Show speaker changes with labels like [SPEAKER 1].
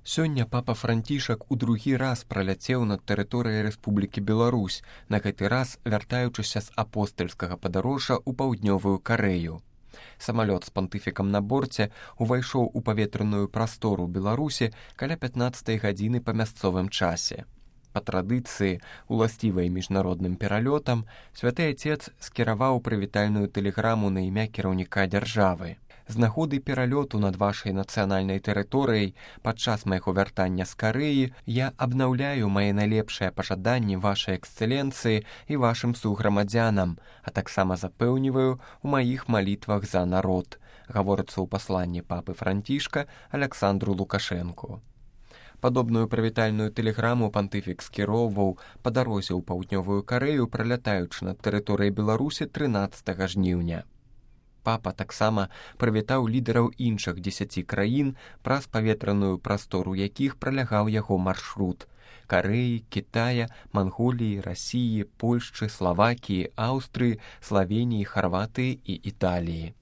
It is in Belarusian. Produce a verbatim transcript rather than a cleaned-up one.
[SPEAKER 1] Сёння папа Францішак у другі раз праляцеў над тэрыторыяй Рэспублікі Беларусь, на гэты раз вяртаючыся з апостальскага падарожжа ў паўднёвую Карэю. Самалёт з пантыфікам на борце увайшоў у паветраную прастору Беларусі каля пятнаццатай гадзіны па мясцовым часе. Па традыцыі, уласцівай міжнародным пералётам, святы Ацец скіраваў прывітальную тэлеграму на імя кіраўніка дзяржавы. З нагоды пералёту над вашай нацыянальнай тэрыторыяй падчас майго вяртання з Карэі я абнаўляю мае найлепшыя пажаданні вашай эксцэленцыі і вашым суграмадзянам, а таксама запэўніваю ў маіх малітвах за народ, гаворыцца ў пасланні папы Францішка Аляксандру Лукашэнку. Падобную прывітальную тэлеграму пантыфік скіроўваў па дарозе ў паўднёвую Карэю, пралятаючы над тэрыторыяй Беларусі трынаццатага жніўня. Папа таксама прывітаў лідараў іншых дзесяці краін, праз паветраную прастору якіх пралягаў яго маршрут – Карэі, Кітая, Манголіі, Расіі, Польшчы, Славакіі, Аўстрыі, Славеніі, Харватыі і Італіі.